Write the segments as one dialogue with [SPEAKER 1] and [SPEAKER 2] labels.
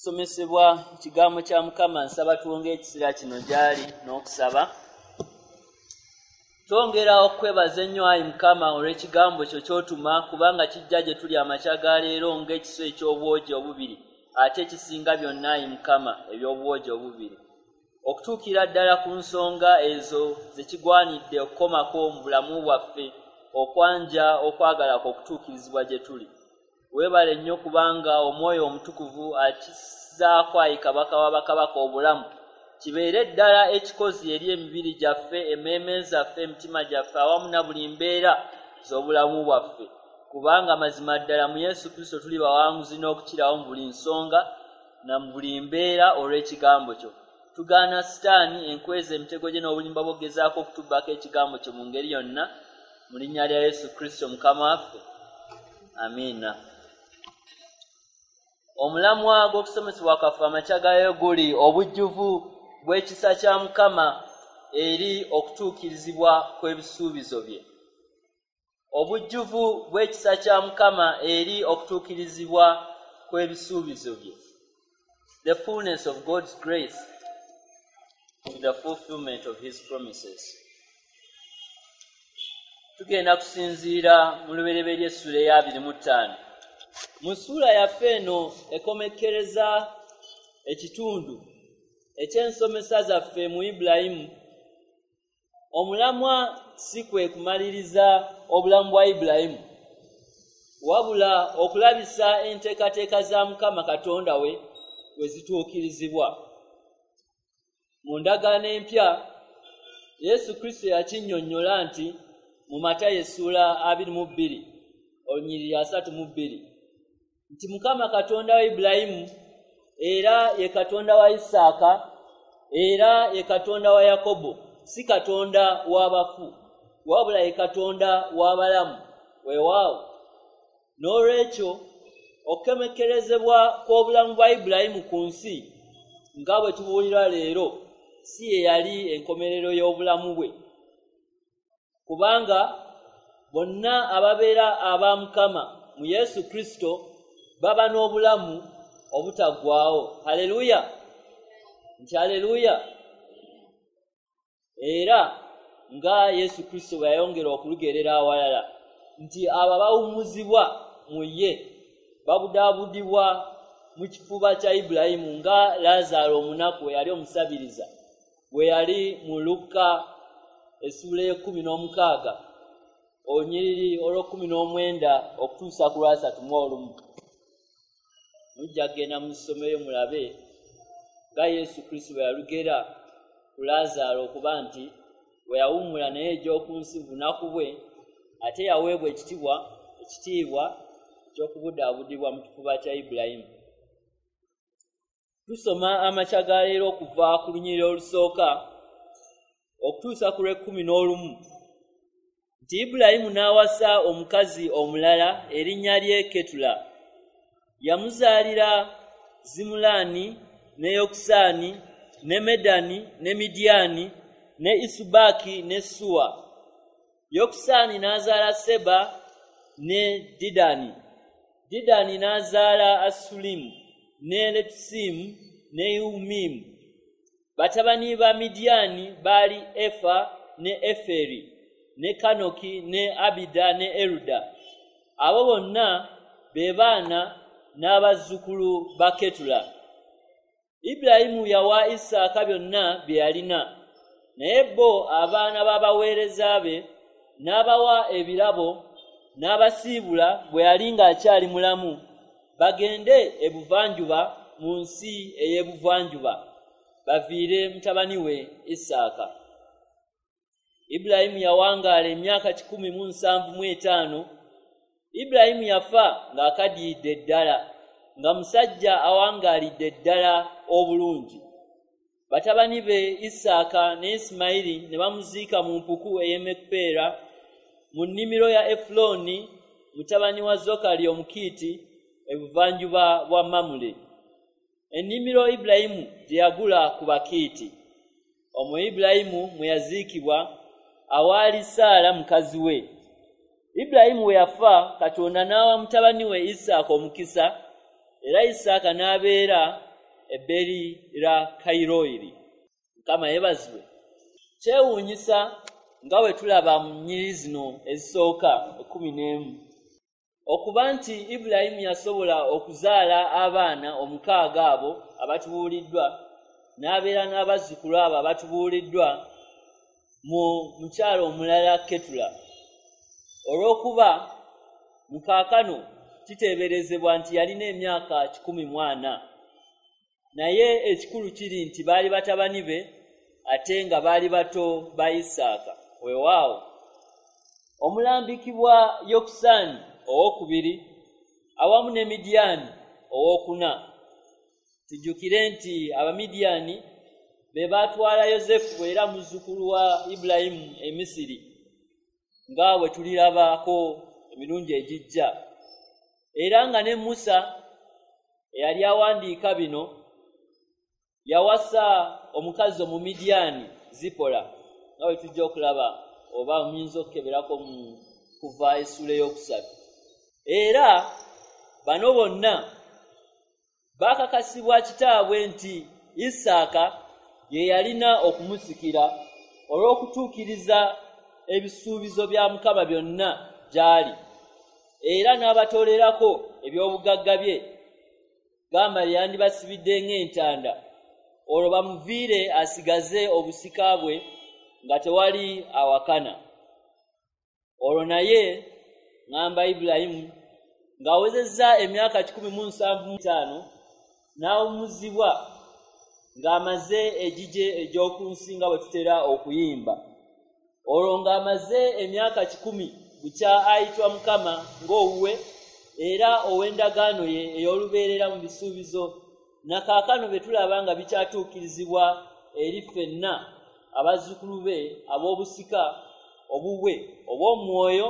[SPEAKER 1] Somesebwa ekigambo kya Mukama, nsaba tuwonge ekiseera kino gy'ali n'okusaba. Twongera okwebaza ennyo ayi Mukama olw'ekigambo kyo ky'otuma, kubanga kijja gye tuli amakya ga leero ng'ekiso eky'obwogi obubiri, ate kisinga byonna ayi Mukama eby'obwogi obubiri, okutuukira ddala ku nsonga ezo ze kigwanidde okukomako mu bulamu bwaffe, okwanja okwagala kwo okutuukirizibwa gye tuli. Weebale nnyo kubanga Omwoyo Omutukuvu akissaako ayi Kabaka wa bakabaka obulamu, kibeere ddala ekikozi eri emibiri gyaffe, emmeeme zaffe, emitima gyaffe, awamu na buli mbeera z'obulamu bwaffe, kubanga mazima ddala mu Yesu Kristo tuli bawanguzi n'okukirawo mu buli nsonga na mu buli mbeera olw'ekigambo kyo. Tugaana Sitaani enkweza emitego gye n'obulimba bw'okugezaako okutubbako ekigambo kyo mu ngeri yonna, mu linnya lya Yesu Kristo Mukama waffe, amiina. Omulamwa gw'okusomesebwa kwaffe amakya gayo guli obujjuvu bw'ekisa kya Mukama eri okutuukirizibwa kw'ebisuubizo bye. Obujjuvu bw'ekisa kya Mukama eri okutuukirizibwa kw'ebisuubizo bye. The fullness of God's grace to the fulfillment of his promises. Tugenda kusinziira mu Lubereberye essula eya 25. Mu ssuula yaffe eno ekomekkereza ekitundu eky'ensomesa zaffe mu Ibulayimu, omulamwa si kwe kumaliriza obulamu bwa Ibulayimu, wabula okulabisa enteekateeka za Mukama Katonda we we zituukirizibwa. Mu ndagaano empya, Yesu Kristo yakinnyonnyola nti mu Matayo essuula 22 olunyiriri 32 nti Mukama Katonda wa Ibulayimu era ye Katonda wa Isaaka era ye Katonda wa Yakobo, si Katonda w'abafu, wabula ye Katonda w'abalamu. Weewaawo, n'olwekyo okukomekkerezebwa kw'obulamu bwa Ibulayimu ku nsi nga bwe tubuulirwa leero si ye yali enkomerero y'obulamu bwe, kubanga bonna ababeera aba Mukama mu Yesu Kristo baba n'obulamu obutaggwaawo. Haleluya! Nti haleluya! Era nga Yesu Kristo bwe yayongera okulugerera awalala nti abo abawummuzibwa mu ye babudaabudibwa mu kifuba kya Ibulayimu, nga Laazaalo omunaku eyali omusabiriza bwe yali mu Lukka essuula ey'e16 olunyiriri olw'e19 okutuusa ku lwa31. Mujja kugenda mu ssomero mulabe nga Yesu Kristo bwe yalugera ku Laazaalo okuba nti bwe yawummula naye egy'oku nsi bunaku bwe, ate yaweebwa ekitiibwa eky'okubudaabudibwa mu kifuba kya Ibulayimu. Tusoma amakya ga leero okuva ku lunyiriri olusooka okutuusa ku lw'e11 nti Ibulayimu n'awasa omukazi omulala erinnya lye Ketula. Yamuzaalira Zimulaani ne Yokusaani ne Medani ne Midiyaani ne Isubaaki ne Suwa. Yokusaani n'azaala Seba ne Didani. Didani n'azaala Asulimu ne Letusimu ne Yumimu. Batabani ba Midiyaani baali Efa ne Eferi ne Kanoki ne Abida ne Eruda. Abo bonna be baana n'abazzukulu ba Ketula. Ibulayimu yawa Isaaka byonna bye yalina, naye bo abaana b'abaweereza be n'abawa ebirabo n'abasiibula bwe yali ng'akyali mulamu, bagende ebuvanjuba mu nsi ey'ebuvanjuba, baviire mutabani we Isaaka. Ibulayimu yawangaala emyaka 175. Ibulayimu yafa ng'akadiyidde ddala, nga musajja awangaalidde ddala obulungi. Batabani be Isaaka ne Isimayiri ne bamuziika mu mpuku ey'e Mekupeera mu nnimiro ya Efulooni mutabani wa Zokali Omukiiti ebuvanjuba bwa Mamule, ennimiro Ibulayimu gye yagula ku Bakiiti. Omwo Ibulayimu mwe yaziikibwa awaali Saala mukazi we. Ibulayimu bwe yafa, Katonda n'awa mutabani we Isaaka omukisa, era Isaaka n'abeera e Beeri-Lakayiroyi. Mukama yeebazibwe. Kyewuunyisa nga bwe tulaba mu nnyiriri zino ezisooka 11 okuba nti Ibulayimu yasobola okuzaala abaana 6 abo abatubuuliddwa, n'abeera n'abazzukulu abo abatubuuliddwa mu mukyalo omulala Ketula, olw'okuba mukaakano kiteeberezebwa nti yalina emyaka 140. Naye ekikulu kiri nti baali batabani be ate nga baali bato ba Isaaka. Weewaawo omulambikibwa Yokusaani owokubiri awamu ne Midiyaani owokuna. Tujjukire nti Abamidiyaani be baatwala Yosefu era muzzukulu wa Ibulayimu e Misiri, nga bwe tulirabako emirundi egijja. Era nga ne Musa eyali awandiika bino yawasa omukazi Omumidiyaani Zipola, nga bwe tujja okulaba oba muyinza okukeberako mu Kuva essuula 3. Era bano bonna baakakasibwa kitaabwe nti Isaaka ye yalina okumusikira olw'okutuukiriza ebisuubizo bya Mukama byonna gy'ali, era n'abatoolerako eby'obugagga bye, gamba yandibasibidde ng'entanda, olwo bamuviire asigaze obusika bwe nga tewali awakana. Olwo naye ŋŋamba Ibulayimu ng'awezezza emyaka 175 n'awummuzibwa ng'amaze egigye egy'oku nsi nga bwe tutera okuyimba. Olwo ng'amaze emyaka 100 bukya ayitwa Mukama ng'owuwe era ow'endagaano ye ey'olubeerera mu bisuubizo, na kaakano bye tulaba nga bikyatuukirizibwa eri ffenna abazzukulu be ab'obusika obubwe obw'omwoyo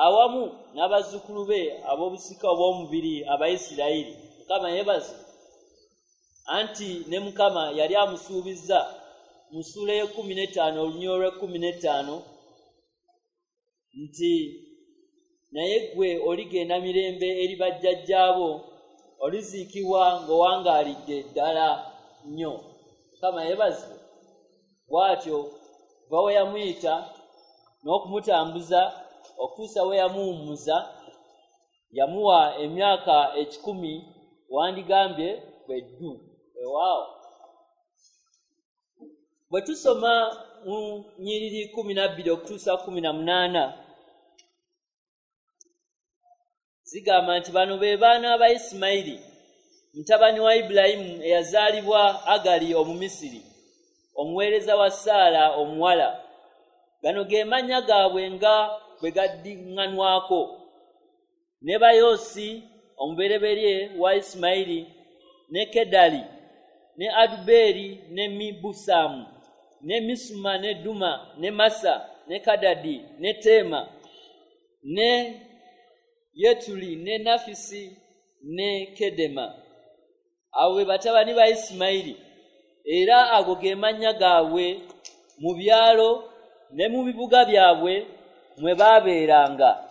[SPEAKER 1] awamu n'abazzukulu be ab'obusika obw'omubiri Abayisirayiri. Mukama yeebazibwe. Anti ne Mukama yali amusuubizza mu ssuula 15 olunyiriri olw'e15 nti naye ggwe oligenda mirembe eri bajjajjaabo, oliziikibwa ng'owangaalidde ddala nnyo. Mukama yeebazibwe. Bw'atyo kuva we yamuyita n'okumutambuza okutuusa we yamuwummuza, yamuwa emyaka 100 wandigambye bwe ddu. Weewaawo bwe tusoma mu nnyiriri 12 okutuusa 18 zigamba nti bano be baana ba Isimayiri mutabani wa Ibulayimu eyazaalibwa Agali Omumisiri, omuweereza wa Saala omuwala. Gano ge mannya gaabwe nga bwe gaddiŋŋanwako: Nebayoosi omubereberye wa Isimayiri, ne Kedali, ne Adubeeri, ne Mibusamu, ne Misuma, ne Duma, ne Masa, ne Kadadi, ne Teema, ne Yetuli, ne Nafisi, ne Kedema. Abo be batabani ba Isimayiri, era ago ge mannya gaabwe mu byalo ne mu bibuga byabwe mwe baabeeranga.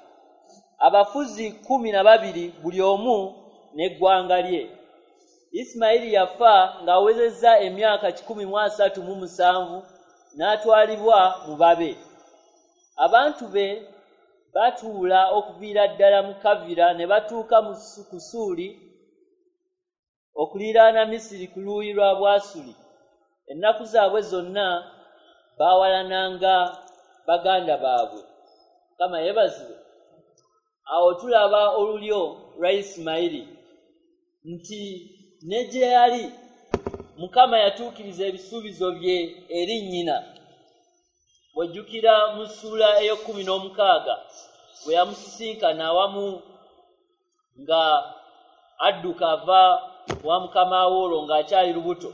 [SPEAKER 1] Abafuzi 12 buli omu n'eggwanga lye. Isimayiri yafa ng'awezezza emyaka 137 n'atwalibwa mu babe. Abantu be batuula okuviira ddala mu Kavira ne batuuka mu Kusuuli okuliraana Misiri ku luuyi lwa Bwasuli. Ennaku zaabwe zonna baawalananga baganda baabwe. Mukama yeebazibwe. Awo tulaba olulyo lwa Isimayiri nti ne gye yali Mukama yatuukiriza ebisuubizo bye eri nnyina. Bw'ojjukira mu ssuula 16 bwe yamusisinkana awamu nga adduka ava wa mukama we olwo ng'akyali lubuto,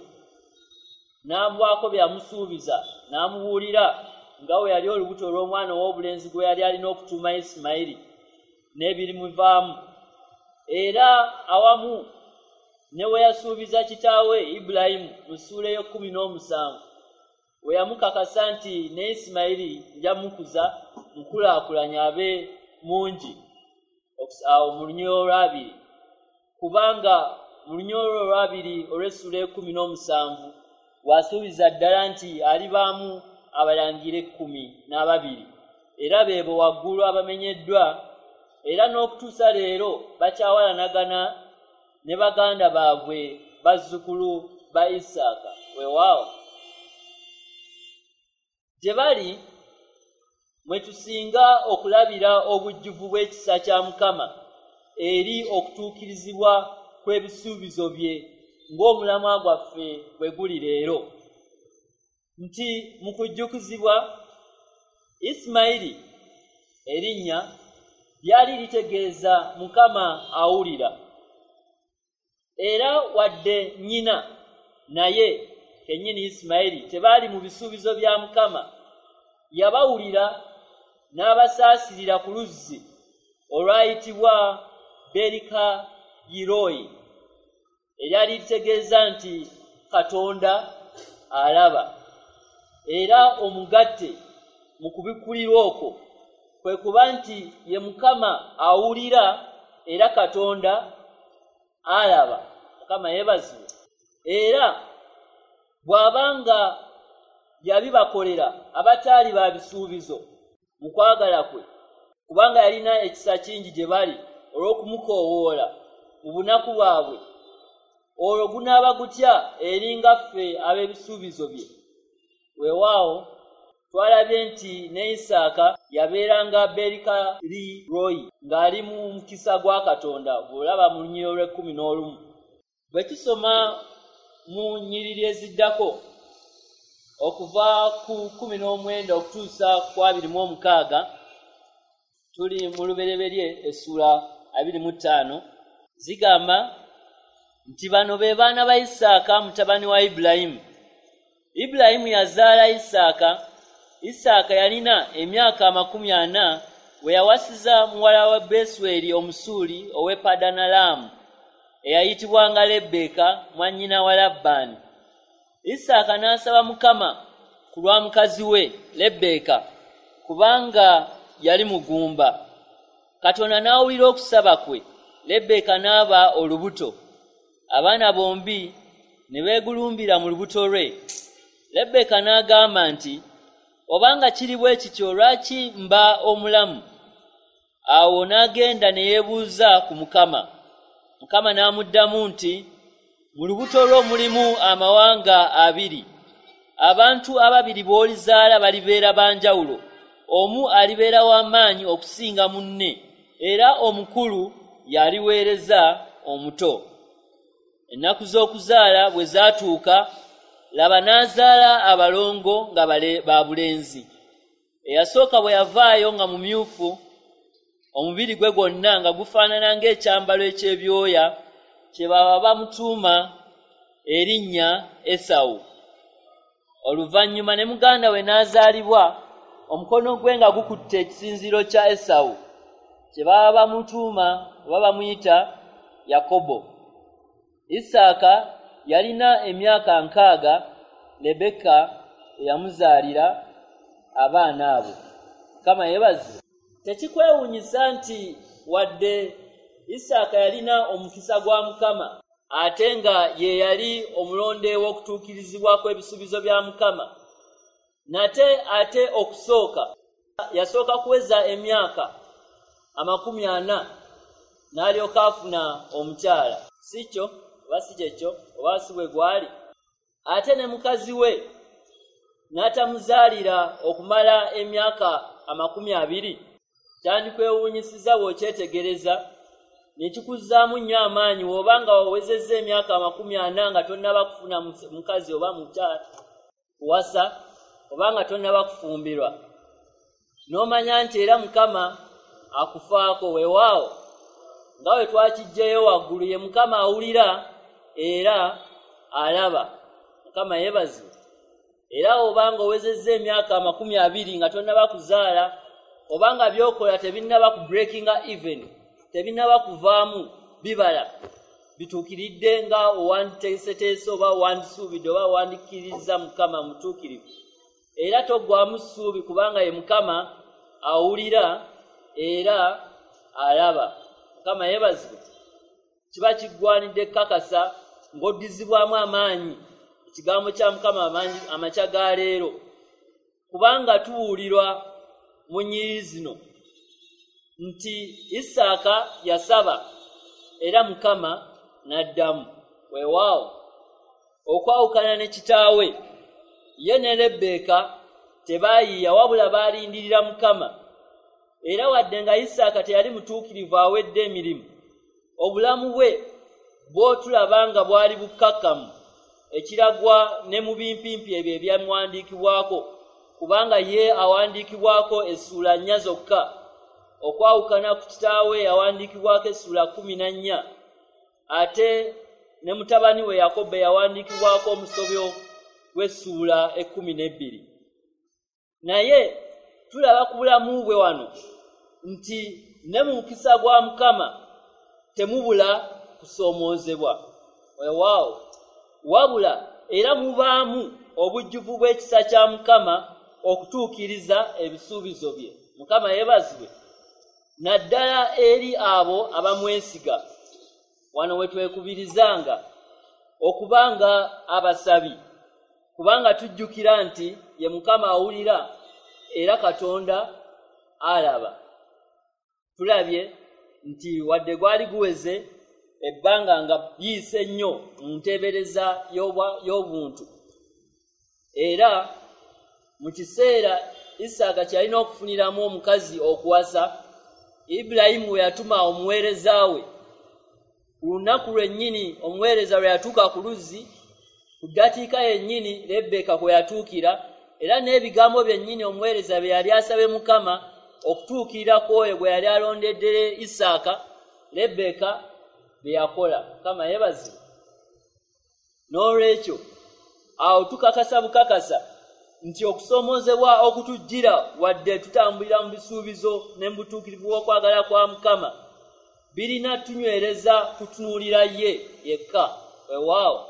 [SPEAKER 1] n'amuwaako bye yamusuubiza, n'amubuulira nga bwe yali olubuto olw'omwana ow'obulenzi gwe yali alina okutuuma Isimayiri n'ebirimuvaamu. Era awamu ne we yasuubiza kitaawe Ibulayimu mu ssuula 17 we yamukakasa nti ne Isimayiri nja mukuza mukulaakulanya abe mungi, awo mu lunyiriri olwabiri, kubanga mu lunyolo olwabiri olw'essula 17 wasuubiza ddala nti alibaamu abalangira 12 era beebo waggulu abamenyeddwa, era n'okutuusa leero bakyawalanagana ne baganda baabwe bazzukulu ba Isaaka. Weewaawo gye bali mwe tusinga okulabira obujjuvu bw'ekisa kya Mukama eri okutuukirizibwa kw'ebisuubizo bye ng'omulamwa gwaffe bwe guli leero, nti mu kujjukizibwa Isimayiri erinnya lyali litegeeza Mukama awulira, era wadde nnyina naye kennyini Isimayiri tebaali mu bisuubizo bya Mukama, yabawulira n'abasaasirira ku luzzi olwayitibwa Berikayiroyi, eryali litegeeza nti Katonda alaba. Era omugatte mu kubikkulirwa okwo kwe kuba nti ye Mukama awulira era Katonda alaba. Mukama yeebazibwe. Era bw'abanga yabibakolera abataali ba bisuubizo mu kwagala kwe, kubanga yalina ekisa kingi gye bali olw'okumukoowoola mu bunaku bwabwe, olwo gunaaba gutya eri nga ffe ab'ebisuubizo bye? Weewaawo twalabye nti ne Isaaka yabeeranga Berikaliroyi ng'ali mu mukisa gwa Katonda, bw'olaba mu lunyiriri olw'e11. Bwe tusoma mu nnyiriri eziddako okuva ku 19 okutuusa ku 26, tuli mu Lubereberye essula 25, zigamba nti bano be baana ba Isaaka mutabani wa Ibulayimu. Ibulayimu yazaala Isaaka. Isaaka yalina emyaka 40 we yawasiza muwala wa Besweri Omusuuli ow'e Padanalaamu, eyayitibwanga Lebbeeka mwannyina wa Labbaani. Isaaka n'asaba Mukama ku lwa mukazi we Lebbeeka, kubanga yali mugumba. Katonda n'awulira okusaba kwe, Lebbeeka n'aba olubuto. Abaana bombi ne beegulumbira mu lubuto lwe. Lebbeeka n'agamba nti, obanga kiri bwe kityo lwaki mba omulamu? Awo n'agenda ne yeebuuza ku Mukama. Mukama n'amuddamu nti, mu lubuto lwo mulimu amawanga abiri. Abantu ababiri b'olizaala balibeera ba njawulo. Omu alibeera w'amaanyi okusinga munne, era omukulu y'aliweereza omuto. Ennaku z'okuzaala bwe zaatuuka, laba n'azaala abalongo nga ba bulenzi. Eyasooka bwe yavaayo nga mumyufu, omubiri gwe gwonna nga gufaanana ng'ekyambalo eky'ebyoya, kye baba bamutuuma erinnya Esawu. Oluvannyuma ne muganda we n'azaalibwa, omukono gwe nga gukutte ekisinziiro kya Esawu, kye baba bamutuuma oba bamuyita Yakobo. Isaaka yalina emyaka 60 Lebbeeka eyamuzaalira abaana abo. Mukama yeebazibwe. Tekikwewuunyisa nti wadde Isaaka yalina omukisa gwa Mukama, ate nga ye yali omulonde w'okutuukirizibwa kw'ebisuubizo bya Mukama, nate ate okusooka yasooka kuweza emyaka 40 n'alyoka afuna omukyala. Si kyo oba si kyekyo oba si bwe gwali? Ate ne mukazi we n'atamuzaalira okumala emyaka 20. Kyandikwewuunyisizza bw'okyetegereza ne kikuzzaamu nnyo amaanyi bw'oba nga wawezezza emyaka 40 nga tonnaba kufuna mukazi oba mukyala kuwasa, oba nga tonnaba kufumbirwa, n'omanya nti era Mukama akufaako. Weewaawo nga bwe twakiggyeyo waggulu, ye Mukama awulira era alaba. Mukama yeebazibwe. Era oba nga owezezza emyaka 20 nga tonnaba kuzaala, oba nga by'okola tebinnaba ku breakinga even, tebinnaba kuvaamu bibala bituukiridde nga owanditeeseteese oba owandisuubidde oba owandikkirizza Mukama mutuukirivu, era toggwaamu ssuubi kubanga ye Mukama awulira era alaba. Mukama yeebazibwe. Kiba kiggwanidde kakasa ng'oddizibwamu amaanyi ekigambo kya Mukama amakya ga leero, kubanga tuwulirwa mu nnyiriri zino nti Isaaka yasaba era Mukama n'addamu. Weewaawo, okwawukana ne kitaawe, ye ne Lebbeeka tebaayiiya wabula baalindirira Mukama. Era wadde nga Isaaka teyali mutuukirivu awedde emirimu, obulamu bwe bw'otulaba nga bwali bukkakkamu, ekiragwa ne mu bimpimpi ebyo ebyamuwandiikibwako, kubanga ye awandiikibwako essuula 4 zokka, okwawukana ku kitaawe yawandiikibwako essuula 14, ate ne mutabani we Yakobo yawandiikibwako omusobyo gw'essuula 12. Naye tulaba ku bulamu bwe wano nti ne mu mukisa gwa Mukama temubula kusoomoozebwa. Weewaawo, wabula era mubaamu obujjuvu bw'ekisa kya Mukama okutuukiriza ebisuubizo bye. Mukama yeebazibwe, naddala eri abo abamwesiga. Wano we twekubirizanga okubanga abasabi, kubanga tujjukira nti ye Mukama awulira era Katonda alaba. Tulabye nti wadde gwali guweze ebbanga nga biyise nnyo mu nteebereza y'obuntu, era mu kiseera Isaaka kyalina okufuniramu omukazi okuwasa, Ibulayimu we yatuma omuweereza we. Ku lunaku lwennyini omuweereza lwe yatuuka ku luzzi, ku ddakiika yennyini Lebbeeka kwe yatuukira, era n'ebigambo byennyini omuweereza bye yali asabe Mukama okutuukirira ku oyo gwe yali alondedde Isaaka, Lebbeeka bye yakola. Mukama yeebazibwe. N'olwekyo awo tukakasa bukakasa nti okusoomoozebwa okutujjira wadde tutambulira mu bisuubizo ne mu butuukirivu bw'okwagala kwa Mukama birina tunywereza kutunuulira ye yekka. Weewaawo,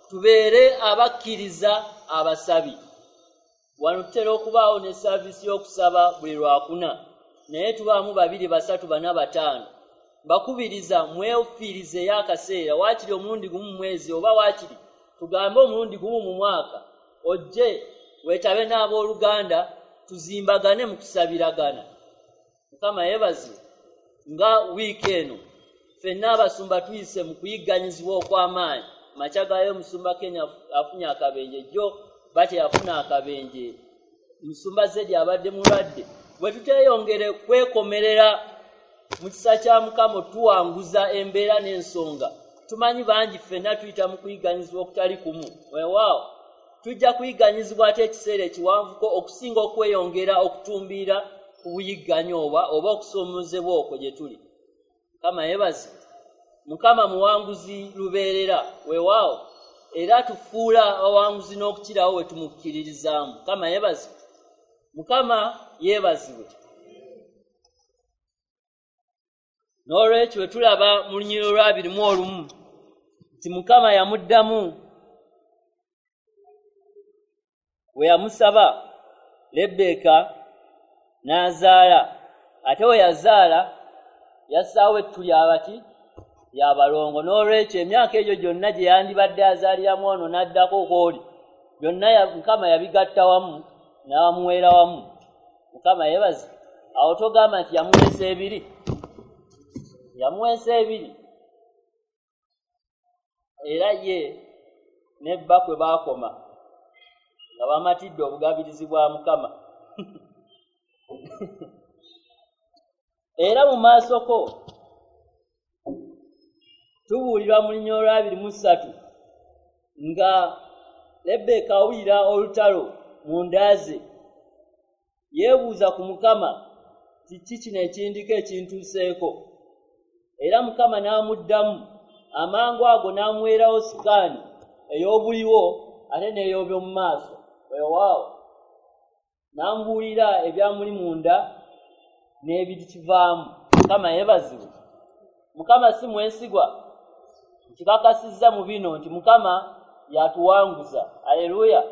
[SPEAKER 1] tubeere abakkiriza abasabi. Wano tutera okubaawo ne saaviisi y'okusaba buli Lwakuna, naye tubaamu 2, 3, 4, 5. Mbakubiriza mwefiirizeeyo akaseera, waakiri omulundi gumu mu mwezi, oba waakiri tugambe omulundi gumu mu mwaka, ojje weetabe n'abooluganda tuzimbagane mu kusabiragana. Mukama yeebazibwe. Nga wiiki eno ffenna abasumba tuyise mu kuyigganyizibwa okw'amaanyi. Makya gaayo omusumba Kenya afunye akabenje, jjo bate yafuna akabenje, musumba Zedi abadde mulwadde. Bwe tuteeyongere kwekomerera mu kisa kya Mukama tuwanguza embeera n'ensonga. Tumanyi bangi ffenna tuyita mu kuyigganyizibwa okutali kumu. Weewaawo, tujja kuyigganyizibwa ate ekiseera ekiwanvuko okusinga okweyongera okutumbiira ku buyigganyi oba okusoomoozebwa okwo gye tuli. Mukama yeebazibwe. Mukama muwanguzi lubeerera. Weewaawo, era tufuula abawanguzi n'okukirawo we tumukkiririzaamu. Mukama yeebazibwe. Mukama yeebazibwe. N'olwekyo bwe tulaba mu lunyiriri olwa 21 nti Mukama yamuddamu we yamusaba, Lebbeeka n'azaala, ate we yazaala yassaawo ettu lyabati lyabalongo. N'olwekyo emyaka egyo gyonna gye yandibadde azaaliramu ono n'addako kw'oli, byonna Mukama yabigatta wamu n'amuweera wamu. Mukama yeebazibwe. Awo togamba nti yamuweesa ebiri, yamuweesa ebiri. Era ye ne bba kwe baakoma nga bamatidde obugabirizi bwa Mukama. Era mu maaso ko tubuulirwa mu lunyiriri olwa 23 nga Lebbeeka awulira olutalo mu nda ze, yeebuuza ku Mukama kiki kino ekindiko ekintuuseeko. Era Mukama n'amuddamu amangu ago n'amuweerawo sikaani ey'obuliwo ate n'ey'oby'omu maaso. Weewaawo, n'amubuulira ebyamuli munda n'ebikivaamu. Mukama yeebazibwe. Mukama si mwesigwa, nkikakasizza mu bino nti Mukama yatuwanguza. Aleluya.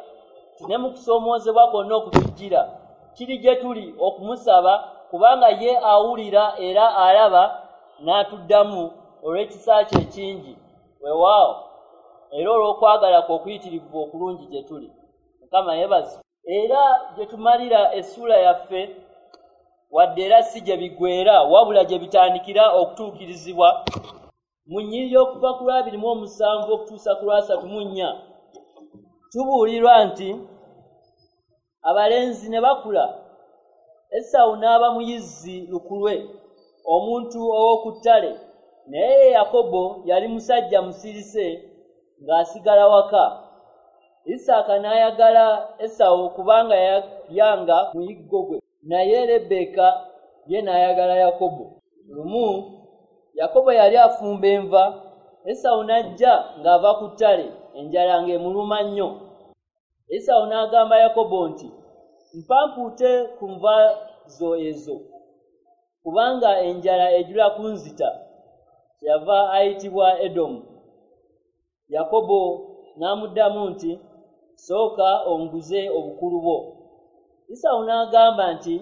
[SPEAKER 1] Ne mu kusoomoozebwa kwonna okutujjira kiri gye tuli okumusaba, kubanga ye awulira era alaba n'atuddamu olw'ekisa kye ekingi, weewaawo, era olw'okwagala kwe okuyitirivu okulungi gye tuli. Mukama yeebazibwe. Era gye tumalira essuula yaffe, wadde era si gye biggweera, wabula gye bitandikira okutuukirizibwa, mu nnyiriri okuva ku lwa 27 okutuusa ku lwa 34, tubuulirwa nti abalenzi ne bakula, Esawu n'aba muyizzi lukulwe, omuntu ow'oku ttale, naye ye Yakobo yali musajja musirise ng'asigala waka. Isaaka n'ayagala Esawu kubanga yalyanga muyiggo gwe, naye Lebbeeka ye n'ayagala Yakobo. Lumu Yakobo yali afumba enva, Esawu n'ajja ng'ava ku ttale, enjala ng'emuluma nnyo. Esawu n'agamba Yakobo nti, "Mpa mpuute ku nva zo ezo, kubanga enjala ejula kunzita." Kyeyava ayitibwa Edomu. Yakobo n'amuddamu nti, "Sooka onguze obukulu bwo." Esawu n'agamba nti,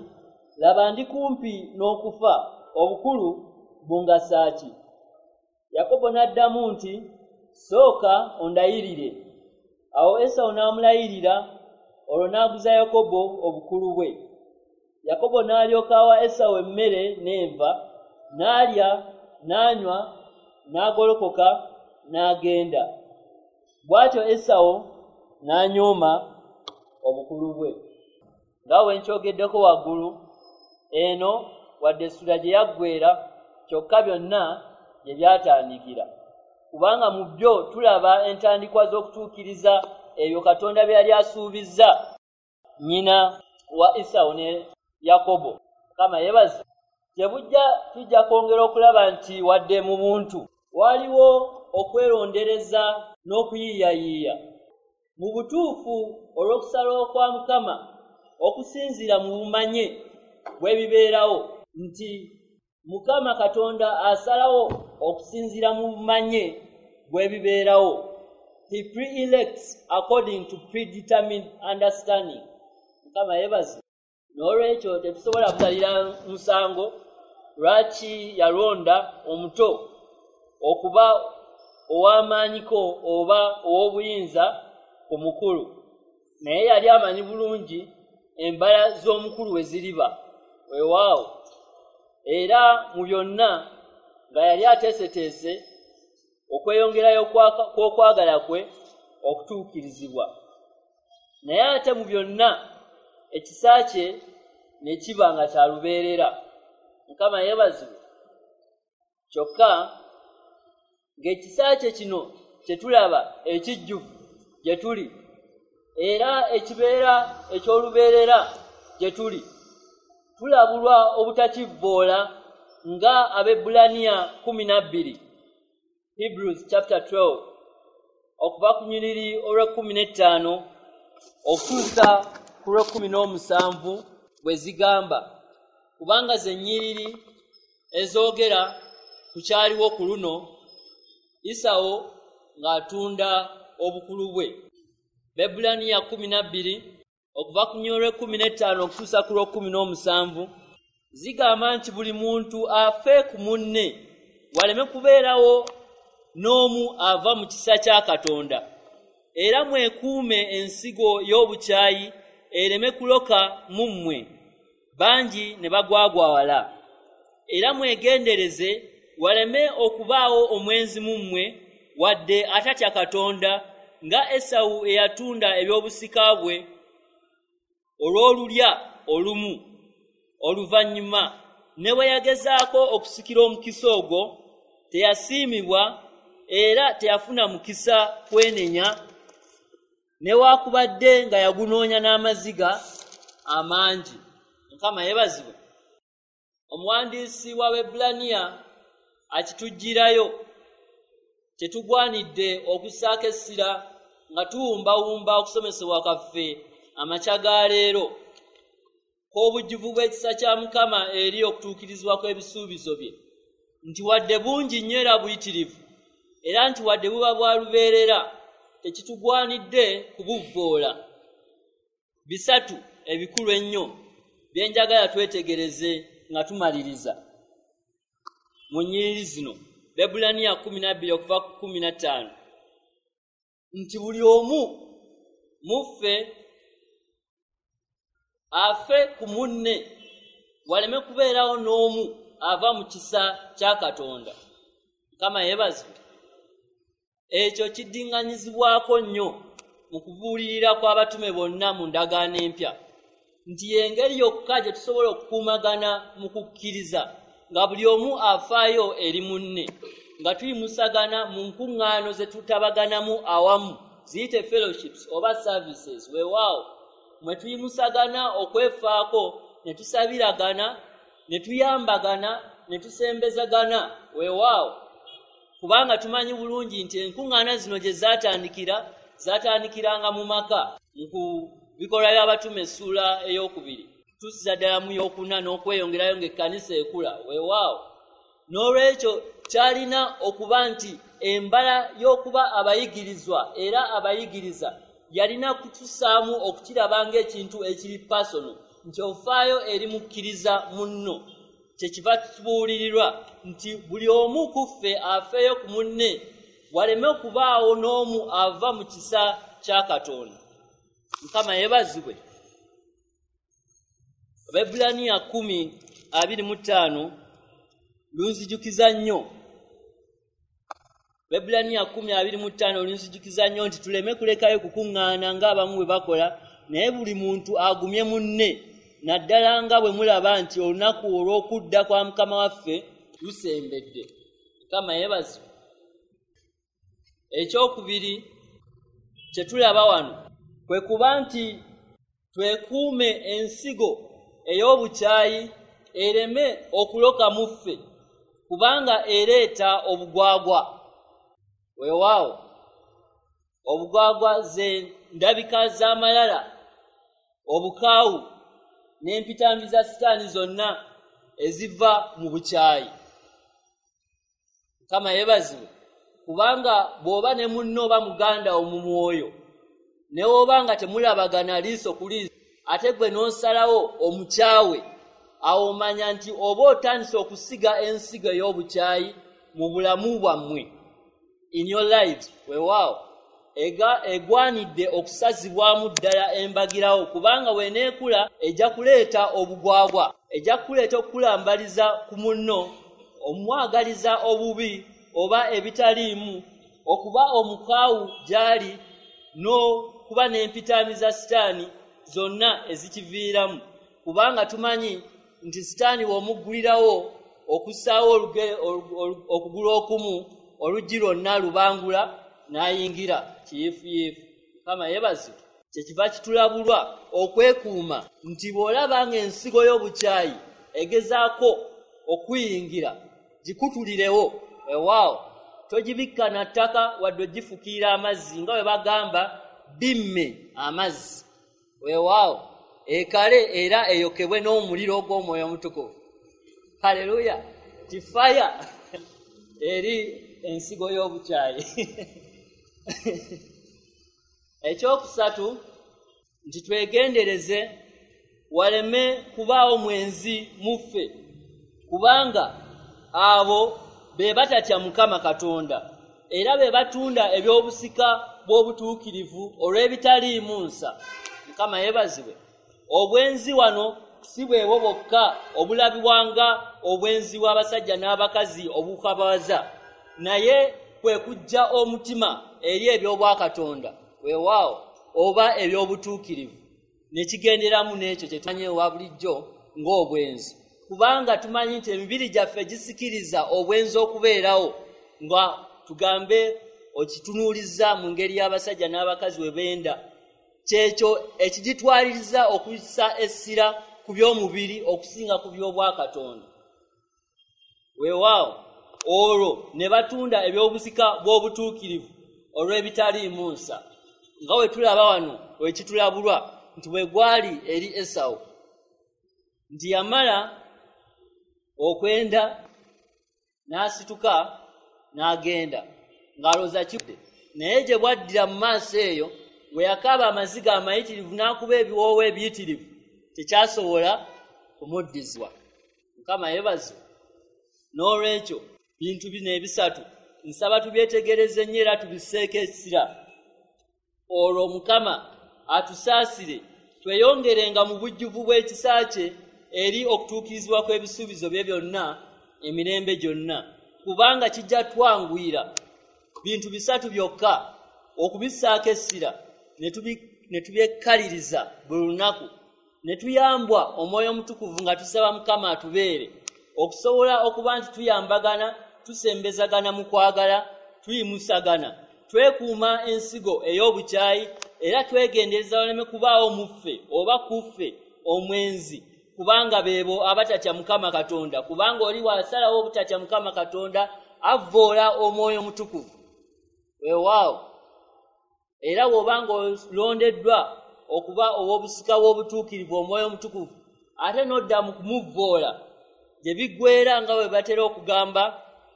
[SPEAKER 1] "Laba ndi kumpi n'okufa, obukulu bungasa ki?" Yakobo n'addamu nti, "Sooka ondayirire." Awo Esawu n'amulayirira, olwo n'aguza Yakobo obukulu bwe. Yakobo n'alyoka awa Esawu emmere n'enva, n'alya n'anywa, n'agolokoka n'agenda. Bw'atyo Esawu n'anyooma obukulu bwe. Nga bwe nkyogeddeko waggulu, eno wadde essula gye yaggweera, kyokka byonna gye byatandikira. Kubanga mu byo tulaba entandikwa z'okutuukiriza ebyo Katonda bye yali asuubizza nnyina wa Esawu ne Yakobo. Mukama yeebazibwe. Gye bujja tujja kwongera okulaba nti wadde mu buntu waliwo okwerondereza n'okuyiiyayiiya, mu butuufu olw'okusalawo kwa Mukama okusinziira mu bumanye bw'ebibeerawo, nti Mukama Katonda asalawo okusinziira mu bumanye bw'ebibeerawo. He pre-elects according to predetermined understanding. Mukama yeebazibwe. N'olwekyo tetusobola kusalira musango lwaki yalonda omuto okuba ow'amaanyiko oba ow'obuyinza ku mukulu. Naye yali amanyi bulungi embala z'omukulu we ziriba. Weewaawo, era mu byonna nga yali ateeseteese okweyongerayo kw'okwagala kwe okutuukirizibwa. Naye ate mu byonna ekisa kye ne kiba nga kya lubeerera. Mukama yeebazibwe. Kyokka ng'ekisa kye kino kye tulaba ekijjuvu gye tuli, era ekibeera eky'olubeerera gye tuli, tulabulwa obutakivvoola nga Abaebbulaniya 12, Hebrews chapter 12, okuva ku nyiriri olw'e 15 okutuusa ku lw'e 17 bwe zigamba, kubanga ze nnyiriri ezoogera ku kyaliwo ku luno Esawu ng'atunda obukulu bwe. Abaebbulaniya 12, okuva ku nyiriri olw'e 15 okutuusa ku lw'e 17, zigamba nti buli muntu afe ku munne, waleme kubeerawo n'omu ava mu kisa kya Katonda, era mwekuume ensigo y'obukyayi ereme kuloka mu mmwe, bangi ne bagwagwawala. Era mwegendereze waleme okubaawo omwenzi mu mmwe, wadde atatya Katonda, nga Esawu eyatunda eby'obusika bwe olw'olulya olumu. Oluvannyuma ne bwe yagezaako okusikira omukisa ogwo, teyasiimibwa era teyafuna mukisa kwenenya, newaakubadde nga yagunoonya n'amaziga amangi. Mukama yeebazibwe. Omuwandiisi w'Abaebbulaniya akituggyirayo kyetugwanidde okussaako essira nga tuwumbawumba okusomesebwa kwaffe amakya ga leero k'obujjuvu bw'ekisa kya Mukama eri okutuukirizibwa kw'ebisuubizo bye, nti wadde bungi nnyo era buyitirivu, era nti wadde buba bwa lubeerera, tekitugwanidde kubuvvoola. Bisatu ebikulu ennyo bye njagala twetegereze nga tumaliriza mu nnyiriri zino. Baebbulaniya 12 okuva ku 15, nti buli omu muffe afe ku munne, waleme kubeerawo n'omu ava mu kisa kya Katonda. Mukama yeebazibwe. Ekyo kiddiŋŋanyizibwako nnyo mu kubuulirira kw'abatume bonna mu ndagaano empya, nti y'engeri yokka gye tusobola okukuumagana mu kukkiriza, nga buli omu afaayo eri munne, nga tuyimusagana mu nkuŋŋaano ze tutabaganamu awamu, ziyite fellowships oba services. Weewaawo mwe tuyimusagana okwefaako, ne tusabiragana, ne tuyambagana, ne tusembezagana. Weewaawo kubanga tumanyi bulungi nti enkuŋŋaana zino gye zaatandikiranga mu maka. Mu bikolwa by'abatume essuula 2 tusiza ddala mu 4 n'okweyongerayo ng'ekkanisa ekula. Weewaawo n'olwekyo kyalina okuba nti embala y'okuba abayigirizwa era abayigiriza yalina kutusaamu okukiraba ng'ekintu ekiri personal, nti ofaayo eri mukkiriza munno. Kyekiva tubuulirirwa nti buli omu ku ffe afeeyo ku munne, waleme okubaawo n'omu ava mu kisa kya Katonda. Mukama yeebazibwe. Abaebbulaniya 10:25 lunzijukiza nnyo. Abaebbulaniya 10:25 lunzijukiza nnyo nti tuleme kulekayo kukuŋŋaana ng'abamu bwe bakola, naye buli muntu agumye munne, naddala nga bwe mulaba nti olunaku olw'okudda kwa Mukama waffe lusembedde. Mukama yeebazibwe. Ekyokubiri kye tulaba wano kwe kuba nti twekuume ensigo ey'obukyayi ereme okuloka mu ffe, kubanga ereeta obugwagwa. Weewaawo obugwagwa ze ndabika z'amalala, obukaawu n'empitambi za Sitaani zonna eziva mu bukyayi. Mukama yeebazibwe. Kubanga bw'oba ne munno oba muganda wo mu mwoyo, ne bw'oba nga temulabagana liiso ku liiso, ate gwe n'osalawo omukyawe, awo omanya nti oba otandise okusiga ensigo ey'obukyayi mu bulamu bwammwe, in your lives. Weewaawo egwanidde okusazibwamu ddala embagirawo, kubanga bw'eneekula ejja kuleeta obugwagwa, ejja kuleeta okukulambaliza ku munno, omwagaliza obubi oba ebitaliimu, okuba omukaawu gy'ali, n'okuba n'empitambi za Sitaani zonna ezikiviiramu. Kubanga tumanyi nti Sitaani bw'omuggulirawo okussaawo okugulu okumu, oluggi lwonna lubangula n'ayingira kiyiifuyiifu. Mukama yeebazibwe. Kyekiva kitulabulwa okwekuuma nti bw'olaba ng'ensigo y'obukyayi egezaako okuyingira, gikutulirewo. Weewaawo togibikka na ttaka wadde ogifukiira amazzi, nga bwe bagamba bimme amazzi. Weewaawo ekale era eyokebwe n'omuliro ogw'Omwoyo Omutukuvu. Haleluya! Tifaya eri ensigo y'obukyayi. Ekyokusatu nti twegendereze waleme kubaawo mwenzi muffe, kubanga abo be batatya Mukama Katonda era be batunda eby'obusika bw'obutuukirivu olw'ebitaliimu nsa. Mukama yeebazibwe. Obwenzi wano si bwebwo bwokka obulabibwanga obwenzi bw'abasajja n'abakazi obukabaza, naye kwe kujja omutima eri eby'obwakatonda, weewaawo oba eby'obutuukirivu, ne kigenderamu n'ekyo kye tumanyi ewa bulijjo ng'obwenzi. Kubanga tumanyi nti emibiri gyaffe gisikiriza obwenzi okubeerawo, nga tugambe okitunuuliza mu ngeri y'abasajja n'abakazi we benda, kyekyo ekigitwaliriza okussa essira ku by'omubiri okusinga ku by'obwakatonda. Weewaawo olwo ne batunda eby'obusika bw'obutuukirivu olw'ebitaliimu nsa, nga bwe tulaba wano wekitulabulwa nti bwe gwali eri Esawu, nti yamala okwenda n'asituka n'agenda ng'alowooza kidde, naye gye bwaddira mu maaso eyo bwe yakaaba amaziga amayitirivu n'akuba ebiwoowo ebiyitirivu, tekyasobola kumuddizibwa. Mukama yeebazibwe. N'olwekyo Bintu bino ebisatu nsaba tubyetegereze nnyo era tubisseeko essira, olwo Mukama atusaasire tweyongerenga mu bujjuvu bw'ekisa kye eri okutuukirizibwa kw'ebisuubizo bye byonna emirembe gyonna, kubanga kijja twanguyira. Bintu bisatu byokka okubissaako essira ne tubyekkaliriza buli lunaku, ne tuyambwa Omwoyo Omutukuvu nga tusaba Mukama atubeere, okusobola okuba nti tuyambagana, tusembezagana mu kwagala, tuyimusagana, twekuuma ensigo ey'obukyayi, era twegendereza waleme kubaawo mu ffe oba ku ffe omwenzi, kubanga beebo abatatya Mukama Katonda. Kubanga oli bw'asalawo obutatya Mukama Katonda avvoola Omwoyo Omutukuvu. Weewaawo, era bw'obanga olondeddwa okuba ow'obusika bw'obutuukirivu Omwoyo Omutukuvu, ate n'odda mu kumuvvoola, gye biggweera nga bwe batera okugamba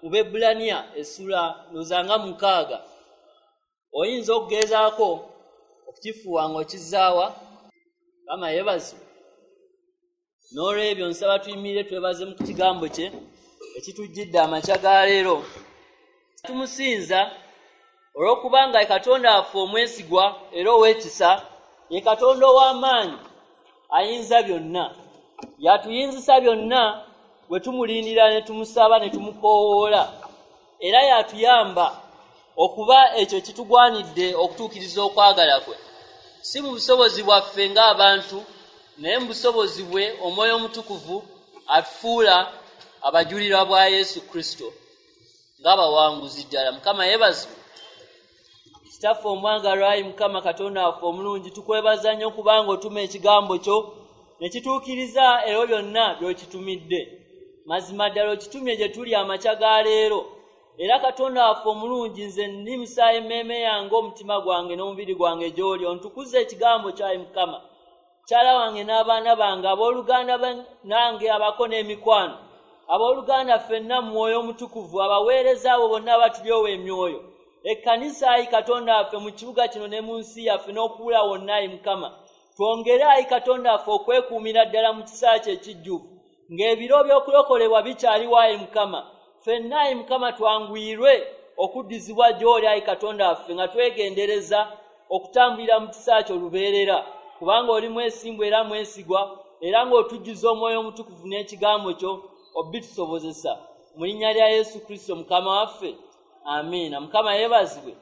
[SPEAKER 1] mu Baebbulaniya essula ndowooza 6. Oyinza okugezaako okukifuuwa ng'okizaawa. Mukama yeebazibwe. N'olwebyo nsaba tuyimirire twebaze mu kigambo kye ekitujjidde amakya ga leero. Tumusinza olw'okubanga ye Katonda waffe omwesigwa era ow'ekisa, ye Katonda ow'amaanyi ayinza byonna, yatuyinzisa byonna bwe tumulindira ne tumusaba ne tumukoowoola, era yatuyamba okuba ekyo kitugwanidde okutuukiriza okwagala kwe, si mu busobozi bwaffe ng'abantu, naye mu busobozi bwe Omwoyo Omutukuvu atufuula abajulirwa bwa Yesu Kristo ng'abawanguzi ddala. Mukama yeebazibwe. Kitaffe omwagalwa, ayi Mukama Katonda waffe omulungi, tukwebaza nnyo kubanga otuma ekigambo kyo ne kituukiriza ebyo byonna by'okitumidde. Mazima ddala okitumye gye tuli amakya ga leero. Era Katonda waffe omulungi, nze nnimusa emmeeme yange, omutima gwange n'omubiri gwange gy'oli, ontukuze ekigambo kyo, ayi Mukama. Mukyala wange n'abaana bange, abooluganda nange abako n'emikwano, abooluganda ffenna mu Mwoyo Omutukuvu, abaweereza abo bonna abatulyowa emyoyo, ekkanisa, ayi Katonda waffe, mu kibuga kino ne mu nsi yaffe n'okuwula wonna, ayi Mukama. Twongere, ayi Katonda waffe, okwekuumira ddala mu kisa kyo ekijjuvu, ng'ebiro by'okulokolebwa bikyaliwo, ayi Mukama. Ffenna, ayi Mukama, twanguyirwe okuddizibwa gy'oli, ayi Katonda waffe, nga twegendereza okutambulira mu kisa kyo lubeerera, kubanga oli mwesimbu era mwesigwa, era ng'otujjuza Omwoyo Omutukuvu n'ekigambo kyo obitusobozesa. Mu linnya lya Yesu Kristo Mukama waffe, amiina. Mukama yeebazibwe.